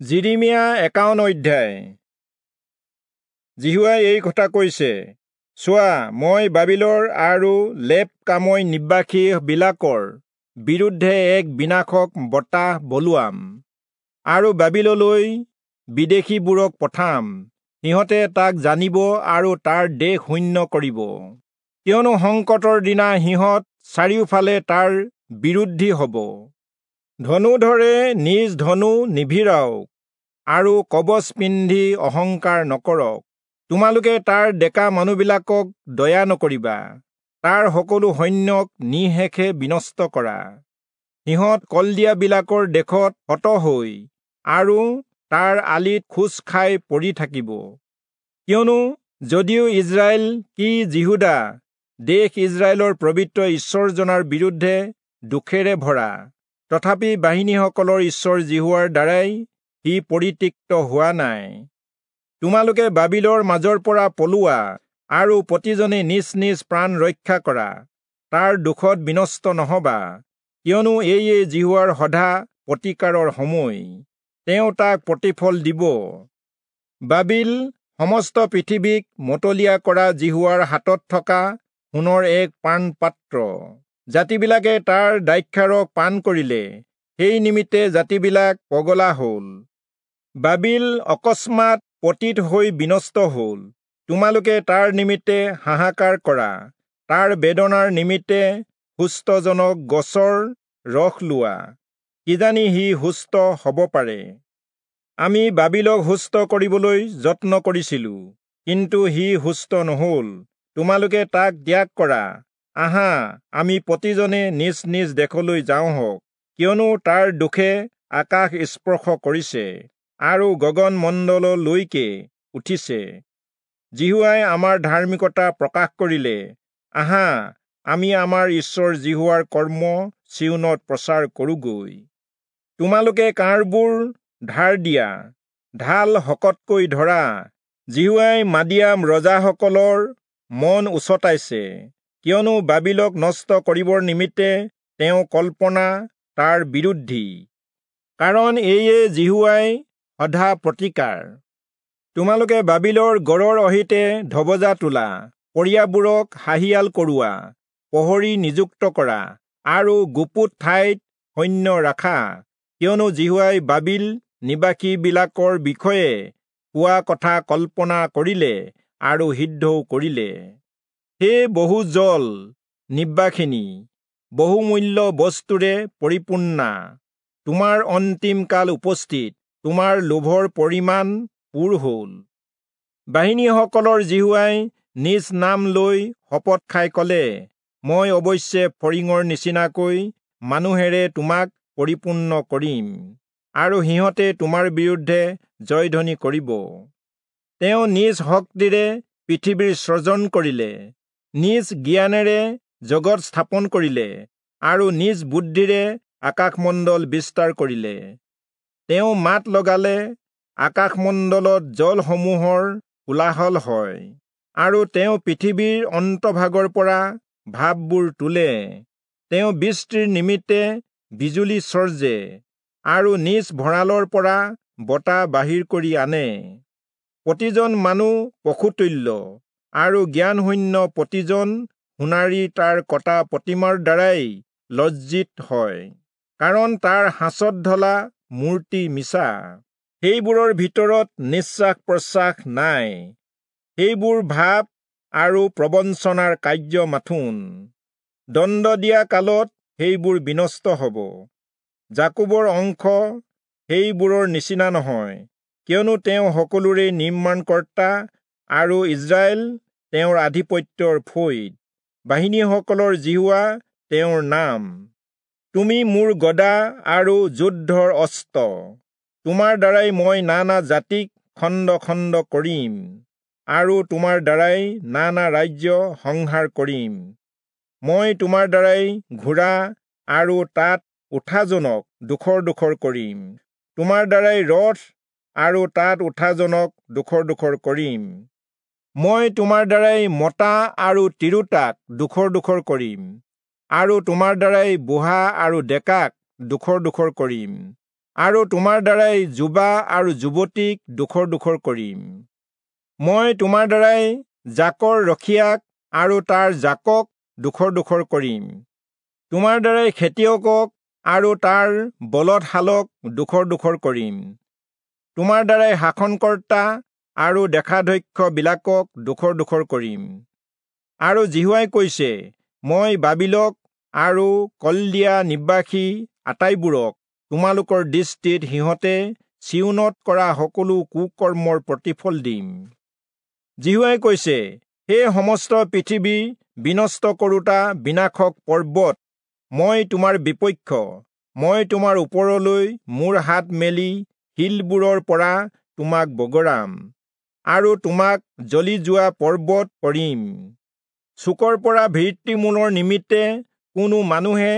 যিৰিমিয়া 51 অধ্যায়। যিহোৱাই এই কথা কৈছে, চোৱা, মই বাবিলৰ আৰু লেব কামৈ নিবাসীবিলাকৰ বিৰুদ্ধে এক বিনাশক বতাহ বলোৱাম, আৰু বাবিললৈ বিদেশীবোৰক পঠাম। সিহঁতে তাক জানিব আৰু তাৰ দেশ শূন্য কৰিব। কিয়নো সংকটৰ দিনা সিহঁত চাৰিওফালে তাৰ বিৰুদ্ধী হ'ব। ধনুধৰে নিজ ধনু নিভিৰাওক আৰু কবচ পিন্ধি অহংকাৰ নকৰক। তোমালোকে তাৰ ডেকা মানুহবিলাকক দয়া নকৰিবা, তাৰ সকলো সৈন্যক নিঃশেষে বিনষ্ট কৰা। সিহঁত কলদিয়াবিলাকৰ দেশত হত হৈ আৰু তাৰ আলিত খোজ খাই পৰি থাকিব। কিয়নো যদিও ইস্ৰায়েল কি যিহূদা দেশ ইস্ৰায়েলৰ পবিত্ৰ ঈশ্বৰজনাৰ বিৰুদ্ধে দুখেৰে ভৰা, তথাপি বাহিনীসকলৰ ঈশ্বৰ যিহোৱাৰ দ্বাৰাই সি পৰিত্যক্ত হোৱা নাই। তোমালোকে বাবিলৰ মাজৰ পৰা পলোৱা আৰু প্ৰতিজনে নিজ নিজ প্ৰাণ ৰক্ষা কৰা, তাৰ দুখত বিনষ্ট নহবা। কিয়নো এয়ে যিহোৱাৰ সধা প্ৰতিকাৰৰ সময়, তেওঁ তাক প্ৰতিফল দিব। বাবিল সমস্ত পৃথিৱীক মতলীয়া কৰা যিহোৱাৰ হাতত থকা সোণৰ এক পানপাত্ৰ। জাতিবিলাকে তাৰ দ্ৰাক্ষাৰস পান কৰিলে, সেই নিমিত্তে জাতিবিলাক পগলা হ'ল। বাবিল অকস্মাত পতিত হৈ বিনষ্ট হ'ল। তোমালোকে তাৰ নিমিত্তে হাহাকাৰ কৰা, তাৰ বেদনাৰ নিমিত্তে সুস্থজনক গছৰ ৰস লোৱা, কিজানি সি সুস্থ হ'ব পাৰে। আমি বাবিলক সুস্থ কৰিবলৈ যত্ন কৰিছিলো, কিন্তু সি সুস্থ নহ'ল। তোমালোকে তাক ত্যাগ কৰা। আহা, আমি প্ৰতিজনে নিজ নিজ দেশলৈ যাওঁহক, কিয়নো তাৰ দুখে আকাশ স্পৰ্শ কৰিছে আৰু গগন মণ্ডললৈকে উঠিছে। যিহোৱাই আমাৰ ধাৰ্মিকতা প্ৰকাশ কৰিলে। আহা, আমি আমাৰ ঈশ্বৰ যিহোৱাৰ কৰ্ম চিয়োনত প্ৰচাৰ কৰোঁগৈ। তোমালোকে কাঁড়বোৰ ধাৰ দিয়া, ঢাল শকতকৈ ধৰা। যিহোৱাই মাদিয়াম ৰজাসকলৰ মন উচতাইছে, কিয়নো বাবিলক নষ্ট কৰিবৰ নিমিত্তে তেওঁ কল্পনা তাৰ বিৰুদ্ধী। কাৰণ এয়ে যিহোৱাই সধা প্ৰতিকাৰ। তোমালোকে বাবিলৰ গড়ৰ অহিতে ধবজা তোলা, পৰিয়াবোৰক হাঁহিয়াল কৰোৱা, প্ৰহৰী নিযুক্ত কৰা আৰু গুপুত ঠাইত সৈন্য ৰাখা। কিয়নো যিহোৱাই বাবিল নিবাসীবিলাকৰ বিষয়ে কোৱা কথা কল্পনা কৰিলে আৰু সিদ্ধও কৰিলে। হে বহু জল নিবাসিনী, বহুমূল্য বস্তুৰে পৰিপূৰ্ণা, তোমাৰ অন্তিম কাল উপস্থিত, তোমাৰ লোভৰ পৰিমাণ পূৰ হ'ল। বাহিনীসকলৰ যিহোৱাই নিজ নাম লৈ শপত খাই ক'লে, মই অৱশ্যে ফৰিঙৰ নিচিনাকৈ মানুহেৰে তোমাক পৰিপূৰ্ণ কৰিম, আৰু সিহঁতে তোমাৰ বিৰুদ্ধে জয়ধ্বনি কৰিব। তেওঁ নিজ শক্তিৰে পৃথিৱীৰ সৃজন কৰিলে, নিজ জ্ঞানেৰে জগত স্থাপন কৰিলে, আৰু নিজ বুদ্ধিৰে আকাশমণ্ডল বিস্তাৰ কৰিলে। তেওঁ মাত লগালে, আকাশমণ্ডলত জলসমূহৰ কোলাহল হয়, আৰু তেওঁ পৃথিৱীৰ অন্তভাগৰ পৰা ভাপবোৰ তোলে। তেওঁ বৃষ্টিৰ নিমিত্তে বিজুলী চৰ্জে, আৰু নিজ ভঁৰালৰ পৰা বতাহ বাহিৰ কৰি আনে। প্ৰতিজন মানুহ পশুতুল্য, আৰু জ্ঞানশূন্য প্ৰতিজন সোণাৰী তাৰ কটা প্ৰতিমাৰ দ্বাৰাই লজ্জিত হয়, কাৰণ তাৰ সাঁচত ঢলা মূৰ্তি মিছা, সেইবোৰৰ ভিতৰত নিশ্বাস প্ৰশ্বাস নাই। সেইবোৰ ভাৱ আৰু প্ৰবঞ্চনাৰ কাৰ্য মাথোন। দণ্ড দিয়া কালত সেইবোৰ বিনষ্ট হ'ব। যাকোবৰ অংশ সেইবোৰৰ নিচিনা নহয়, কিয়নো তেওঁ সকলোৰে নিৰ্মাণকৰ্তা আৰু ইস্ৰায়েল তেওঁৰ আধিপত্যৰ ফৈদ। বাহিনীসকলৰ যিহোৱা তেওঁৰ নাম। তুমি মোৰ গদা আৰু যুদ্ধৰ অস্ত্ৰ, তোমাৰ দ্বাৰাই মই নানা জাতিক খণ্ড খণ্ড কৰিম, আৰু তোমাৰ দ্বাৰাই নানা ৰাজ্য সংহাৰ কৰিম। মই তোমাৰ দ্বাৰাই ঘোঁৰা আৰু তাত উঠাজনক ডোখৰ ডোখৰ কৰিম, তোমাৰ দ্বাৰাই ৰথ আৰু তাত উঠাজনক ডোখৰ ডোখৰ কৰিম। মই তোমাৰ দ্বাৰাই মতা আৰু তিৰোতাক ডোখৰ ডোখৰ কৰিম, আৰু তোমাৰ দ্বাৰাই বুঢ়া আৰু ডেকাক ডোখৰ ডোখৰ কৰিম। আৰু তোমাৰ দ্বাৰাই যুৱা আৰু যুৱতীক দুখৰ দুখৰ কৰিম। মই তোমাৰ দ্বাৰাই জাকৰ ৰখীয়াক আৰু তাৰ জাকক দুখৰ দুখৰ কৰিম। তোমাৰ দ্বাৰাই খেতিয়কক আৰু তাৰ বলদশালক দুখৰ দুখৰ কৰিম। তোমাৰ দ্বাৰাই শাসনকৰ্তা আৰু দেশাধ্যক্ষবিলাকক দুখৰ দুখৰ কৰিম। আৰু যিহোৱাই কৈছে, মই বাবিলক আৰু কলদিয়া নিবাসী আটাইবোৰক তোমালোকৰ দৃষ্টিত সিহঁতে চিয়োনত কৰা সকলো কুকৰ্মৰ প্ৰতিফল দিম। যিহোৱাই কৈছে, হে সমস্ত পৃথিৱী বিনষ্ট কৰোঁতা বিনাশক পৰ্বত, মই তোমাৰ বিপক্ষ, মই তোমাৰ ওপৰলৈ মোৰ হাত মেলি শিলবোৰৰ পৰা তোমাক বগৰাম আৰু তোমাক জ্বলি যোৱা পৰ্বত কৰিম। চুকৰ পৰা ভিত্তিমূলৰ নিমিত্তে কোনো মানুহে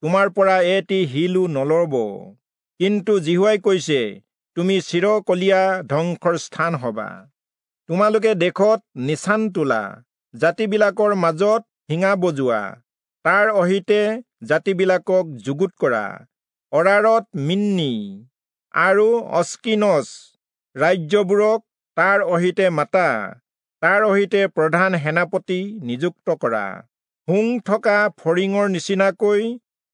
তোমাৰ পৰা এটি শিলো নলব। কিন্তু যিহোৱাই কৈছে, তুমি চিৰকলীয়া ধ্বংসৰ স্থান হবা। তোমালোকে দেশত নিচান তোলা, জাতিবিলাকৰ মাজত শিঙা বজোৱা, তাৰ অহিতে জাতিবিলাকক যুগুত কৰা, অৰাৰত মিন্নি আৰু অস্কিনচ ৰাজ্যবোৰক তাৰ অহিতে মাতা, তাৰ অহিতে প্ৰধান সেনাপতি নিযুক্ত কৰা, শুং থকা ফৰিঙৰ নিচিনাকৈ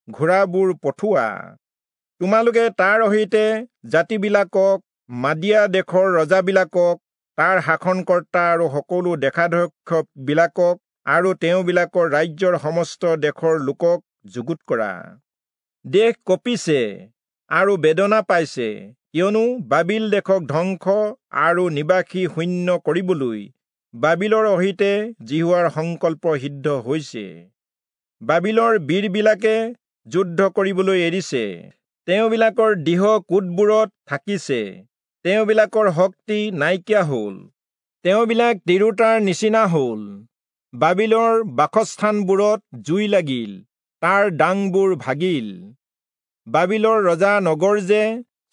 ঘোঁৰাবোৰ পঠোৱা। তোমালোকে তাৰ অহিতে জাতিবিলাকক, মাদিয়া দেশৰ ৰজাবিলাকক, তাৰ শাসনকৰ্তা আৰু সকলো দেশাধ্যক্ষবিলাকক আৰু তেওঁবিলাকৰ ৰাজ্যৰ সমস্ত দেশৰ লোকক যুগুত কৰা। দেশ কঁপিছে আৰু বেদনা পাইছে, কিয়নো বাবিল দেশক ধ্বংস আৰু নিবাসী শূন্য কৰিবলৈ বাবিলৰ অহিতে যিহোৱাৰ সংকল্প সিদ্ধ হৈছে। বাবিলৰ বীৰবিলাকে যুদ্ধ কৰিবলৈ এৰিছে, তেওঁবিলাকৰ দৃঢ় কোটবোৰত থাকিছে, তেওঁবিলাকৰ শক্তি নাইকিয়া হ'ল, তেওঁবিলাক তিৰোতাৰ নিচিনা হ'ল। বাবিলৰ বাসস্থানবোৰত জুই লাগিল, তাৰ ডাংবোৰ ভাগিল। বাবিলৰ ৰজা নগৰ যে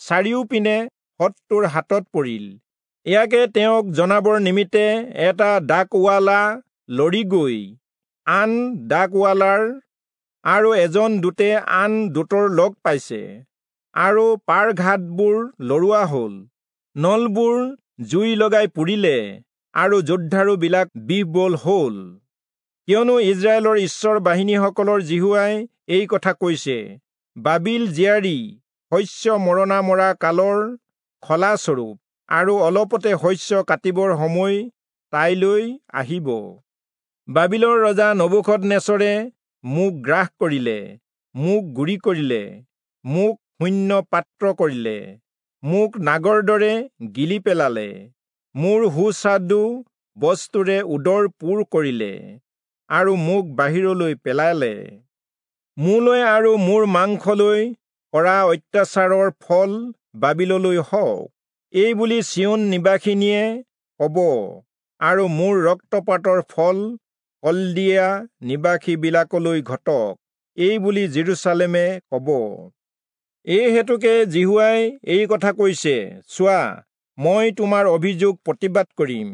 চাৰিওপিনে শত্ৰুৰ হাতত পৰিল, ইয়াকে তেওঁক জনাবৰ নিমিত্তে এটা ডাকৱালা লৰি গৈ আন ডাকৱালাৰ আৰু এজন দূতে আন দূতৰ লগ পাইছে, আৰু পাৰঘাটবোৰ লৰোৱা হ'ল, নলবোৰ জুই লগাই পুৰিলে, আৰু যোদ্ধাৰুবিলাক বিহ্বল হ'ল। কিয়নো ইস্ৰায়েলৰ ঈশ্বৰ বাহিনীসকলৰ যিহোৱাই এই কথা কৈছে, বাবিল জীয়াৰী শস্য মৰণা মৰা কালৰ খলাস্বৰূপ, আৰু অলপতে শস্য কাটিবৰ সময় তাইলৈ আহিব। বাবিলৰ ৰজা নবূখদনেচৰে মোক গ্ৰাস কৰিলে, মোক গুৰি কৰিলে, মোক শূন্য পাত্ৰ কৰিলে, মোক নাগৰ দৰে গিলি পেলালে, মোৰ সুস্বাদু বস্তুৰে উদৰ পূৰ কৰিলে, আৰু মোক বাহিৰলৈ পেলালে। মোলৈ আৰু মোৰ মাংসলৈ কৰা অত্যাচাৰৰ ফল বাবিললৈ হওক, এই বুলি চিয়োন নিবাসিনীয়ে ক'ব, আৰু মোৰ ৰক্তপাতৰ ফল কলদিয়া নিবাসীবিলাকলৈ ঘটক, এই বুলি জেৰুচালেমে ক'ব। এই হেতুকে যিহোৱাই এই কথা কৈছে, চোৱা, মই তোমাৰ অভিযোগ প্ৰতিবাদ কৰিম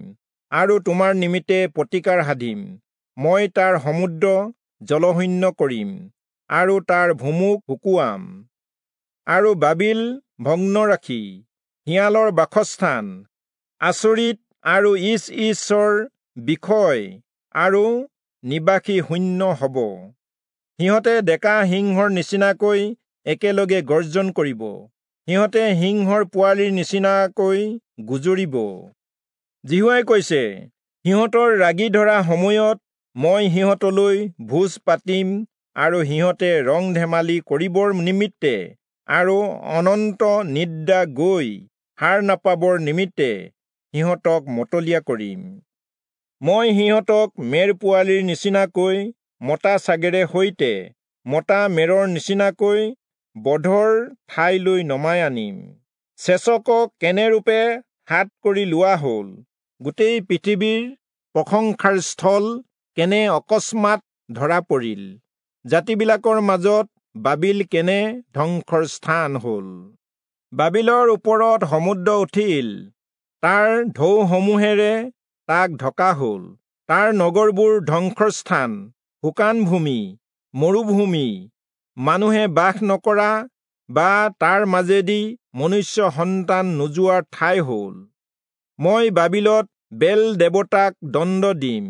আৰু তোমাৰ নিমিত্তে প্ৰতিকাৰ সাধিম। মই তাৰ সমুদ্ৰ জলশূন্য কৰিম আৰু তাৰ ভূমুক শুকুৱাম, আৰু বাবিল ভগ্ন ৰাখি শিয়ালৰ বাসস্থান, আচৰিত আৰু ইচ ইচৰ বিষয় আৰু নিবাসী শূন্য হ'ব। সিহঁতে ডেকা সিংহৰ নিচিনাকৈ একেলগে গৰ্জন কৰিব, সিহঁতে সিংহৰ পোৱালিৰ নিচিনাকৈ গুজৰিব। যিহোৱাই কৈছে, সিহঁতৰ ৰাগি ধৰা সময়ত মই সিহঁতলৈ ভোজ পাতিম, আৰু সিহঁতে ৰং ধেমালি কৰিবৰ নিমিত্তে আৰু অনন্ত নিদ্ৰা গৈ সাৰ নাপাবৰ নিমিত্তে সিহঁতক মতলীয়া কৰিম। মই সিহঁতক মেৰ পোৱালিৰ নিচিনাকৈ মতা ছাগেৰে সৈতে মতা মেৰৰ নিচিনাকৈ বধৰ ঠাইলৈ নমাই আনিম। চেচকক কেনেৰূপে হাত কৰি লোৱা হ'ল, গোটেই পৃথিৱীৰ প্ৰশংসাৰ স্থল কেনে অকস্মাত ধৰা পৰিল, জাতিবিলাকৰ মাজত বাবিল কেনে ধ্বংসৰ স্থান হ'ল। বাবিলৰ ওপৰত সমুদ্ৰ উঠিল, তাৰ ঢৌসমূহেৰে তাক ঢকা হ'ল। তাৰ নগৰবোৰ ধ্বংসস্থান, শুকান ভূমি, মৰুভূমি, মানুহে বাস নকৰা বা তাৰ মাজেদি মনুষ্য সন্তান নোযোৱাৰ ঠাই হ'ল। মই বাবিলত বেল দেৱতাক দণ্ড দিম,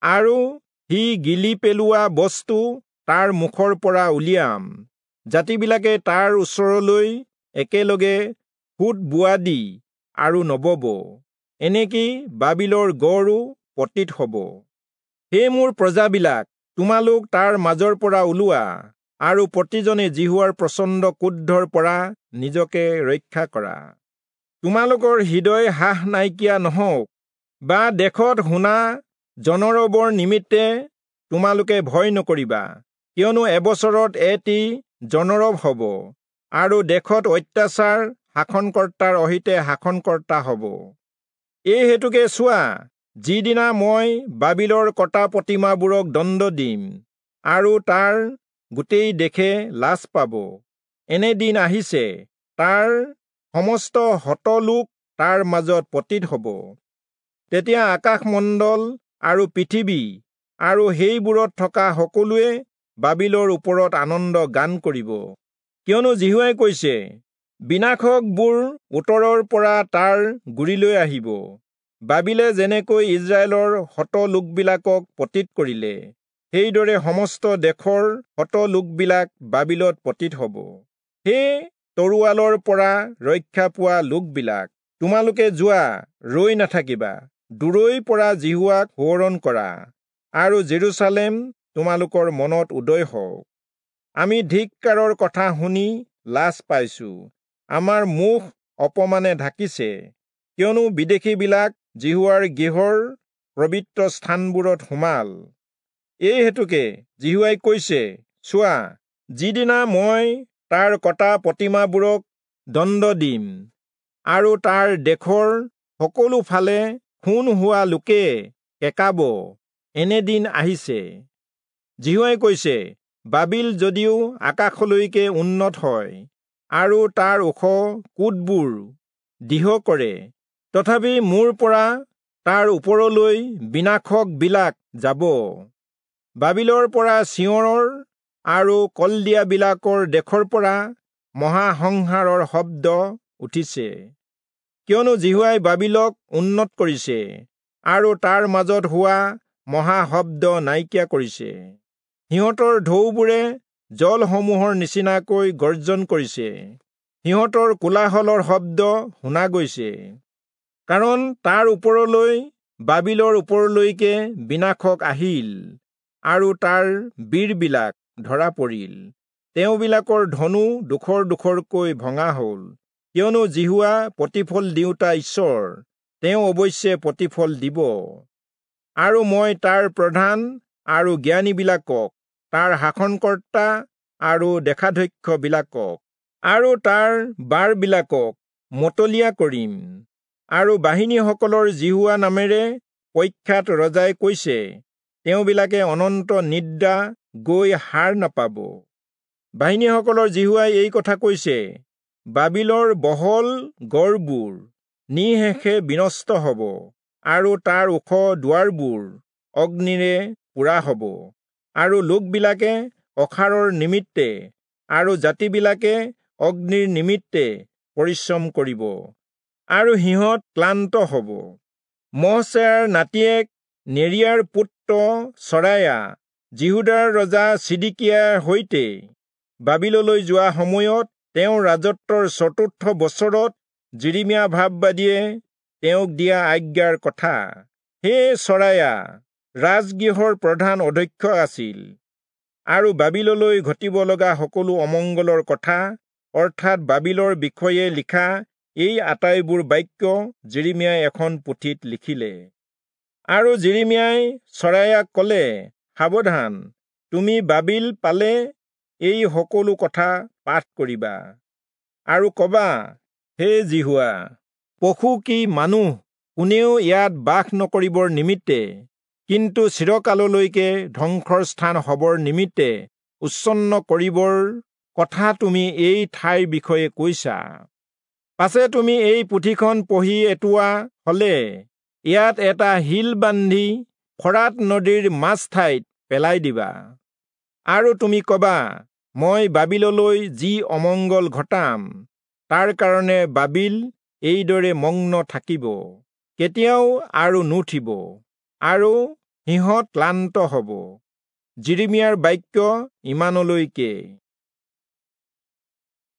আৰু সি গিলি পেলোৱা বস্তু তাৰ মুখৰ পৰা উলিয়াম। জাতিবিলাকে তাৰ ওচৰলৈ একেলগে সোঁত বোৱা দি আৰু নবব, এনেকি বাবিলৰ গড়ো পতিত হ'ব। হে মোৰ প্ৰজাবিলাক, তোমালোক তাৰ মাজৰ পৰা ওলোৱা, আৰু প্ৰতিজনে যিহোৱাৰ প্ৰচণ্ড ক্ৰোধৰ পৰা নিজকে ৰক্ষা কৰা। তোমালোকৰ হৃদয় হাস নাইকিয়া নহওক, বা দেশত শুনা জনৰৱৰ নিমিত্তে তোমালোকে ভয় নকৰিবা, কিয়নো এবছৰত এটি জনৰৱ হ'ব, আৰু দেশত অত্যাচাৰ শাসনকৰ্তাৰ অহিতে শাসনকৰ্তা হ'ব। এই হেতুকে চোৱা, যিদিনা মই বাবিলৰ কটা প্ৰতিমাবোৰক দণ্ড দিম, আৰু তাৰ গোটেই দেশে লাজ পাব, এনে দিন আহিছে, তাৰ সমস্ত হত লোক তাৰ মাজত পতিত হ'ব। তেতিয়া আকাশমণ্ডল আৰু পৃথিৱী আৰু সেইবোৰত থকা সকলোৱে বাবিলৰ ওপৰত আনন্দ গান কৰিব। কিয়নো যিহোৱাই কৈছে, বিনাশকবোৰ উত্তৰৰ পৰা তাৰ গুৰিলৈ আহিব। বাবিলে যেনেকৈ ইস্ৰায়েলৰ হত লোকবিলাকক পতিত কৰিলে, সেইদৰে সমস্ত দেশৰ হত লোকবিলাক বাবিলত পতিত হ'ব। হে তৰোৱালৰ পৰা ৰক্ষা পোৱা লোকবিলাক, তোমালোকে যোৱা, ৰৈ নাথাকিবা, দূৰৈৰ পৰা যিহোৱাক সোঁৱৰণ কৰা, আৰু জেৰুচালেম তোমালোকৰ মনত উদয় হওক। আমি ধিক্কাৰৰ কথা শুনি লাজ পাইছো, আমাৰ মুখ অপমানে ঢাকিছে, কিয়নো বিদেশীবিলাক যিহোৱাৰ গৃহৰ পবিত্ৰ স্থানবোৰত সোমাল। এই হেতুকে যিহোৱাই কৈছে, চোৱা, যিদিনা মই তাৰ কটা প্ৰতিমাবোৰক দণ্ড দিম, আৰু তাৰ দেশৰ সকলো ফালে খুন হোৱা লোকে কেঁকাব, এনে দিন আহিছে। যিহোৱাই কৈছে, বাবিল যদিও আকাশলৈকে উন্নত হয়, আৰু তাৰ ওখ কোটবোৰ দৃঢ় কৰে, তথাপি মোৰ পৰা তাৰ ওপৰলৈ বিনাশকবিলাক যাব। বাবিলৰ পৰা চিঞৰৰ আৰু কলদিয়াবিলাকৰ দেশৰ পৰা মহাসংহাৰৰ শব্দ উঠিছে, কিয়নো যিহোৱাই বাবিলক উন্নত কৰিছে, আৰু তাৰ মাজত হোৱা মহাশব্দ নাইকিয়া কৰিছে। সিহঁতৰ ঢৌবোৰে জলসমূহৰ নিচিনাকৈ গৰ্জন কৰিছে, সিহঁতৰ কোলাহলৰ শব্দ শুনা গৈছে, কাৰণ তাৰ ওপৰলৈ বাবিলৰ ওপৰলৈকে বিনাশক আহিল, আৰু তাৰ বীৰবিলাক ধৰা পৰিল। তেওঁবিলাকৰ ধনু ডোখৰ ডোখৰকৈ ভঙা হ'ল, কিয়নো যিহোৱা প্ৰতিফল দিওঁতা ঈশ্বৰ, তেওঁ অৱশ্যে প্ৰতিফল দিব। আৰু মই তাৰ প্ৰধান আৰু জ্ঞানীবিলাকক, তাৰ শাসনকৰ্তা আৰু দেশাধ্যক্ষবিলাকক, আৰু তাৰ বাৰবিলাকক মতলীয়া কৰিম। আৰু বাহিনীসকলৰ যিহোৱা নামেৰে প্ৰখ্যাত ৰজাই কৈছে, তেওঁবিলাকে অনন্ত নিদ্ৰা গৈ সাৰ নাপাব। বাহিনীসকলৰ যিহোৱাই এই কথা কৈছে, বাবিলৰ বহল গড়বোৰ নিঃশেষে বিনষ্ট হ'ব, আৰু তাৰ ওখ দুৱাৰবোৰ অগ্নিৰে পোৰা হ'ব, আৰু লোকবিলাকে অসাৰৰ নিমিত্তে আৰু জাতিবিলাকে অগ্নিৰ নিমিত্তে পৰিশ্ৰম কৰিব, আৰু সিহঁত ক্লান্ত হ'ব। মহছেয়াৰ নাতিয়েক নেৰিয়াৰ পুত্ৰ চৰায়া যিহূদাৰ ৰজা চিদিকিয়াৰ সৈতে বাবিললৈ যোৱা সময়ত তেওঁৰ ৰাজত্বৰ চতুৰ্থ বছৰত যিৰিমিয়া ভাববাদীয়ে তেওঁক দিয়া আজ্ঞাৰ কথা। হে চৰায়া ৰাজগৃহৰ প্ৰধান অধ্যক্ষ আছিল, আৰু বাবিললৈ ঘটিব লগা সকলো অমংগলৰ কথা, অৰ্থাৎ বাবিলৰ বিষয়ে লিখা এই আটাইবোৰ বাক্য যিৰিমিয়াই এখন পুথিত লিখিলে। আৰু যিৰিমিয়াই চৰায়াক ক'লে, সাৱধান, তুমি বাবিল পালে এই সকলো কথা পাঠ কৰিবা, আৰু কবা, হে যিহোৱা, পশু কি মানুহ কোনেও ইয়াত বাস নকৰিবৰ নিমিত্তে, কিন্তু চিৰকাললৈকে ধ্বংসৰ স্থান হবৰ নিমিত্তে উচ্ছন্ন কৰিবৰ কথা তুমি এই ঠাইৰ বিষয়ে কৈছা। পাছে তুমি এই পুথিখন পঢ়ি এটোৱা হলে ইয়াত এটা শিল বান্ধি ফৰাত নদীৰ মাজ ঠাইত পেলাই দিবা, আৰু তুমি কবা, মই বাবিললৈ যি অমঙ্গল ঘটাম, তাৰ কাৰণে বাবিল এইদৰে মগ্ন থাকিব, কেতিয়াও আৰু নুঠিব, আৰু সিহঁত ক্লান্ত হ'ব। যিৰিমিয়াৰ বাক্য ইমানলৈকে।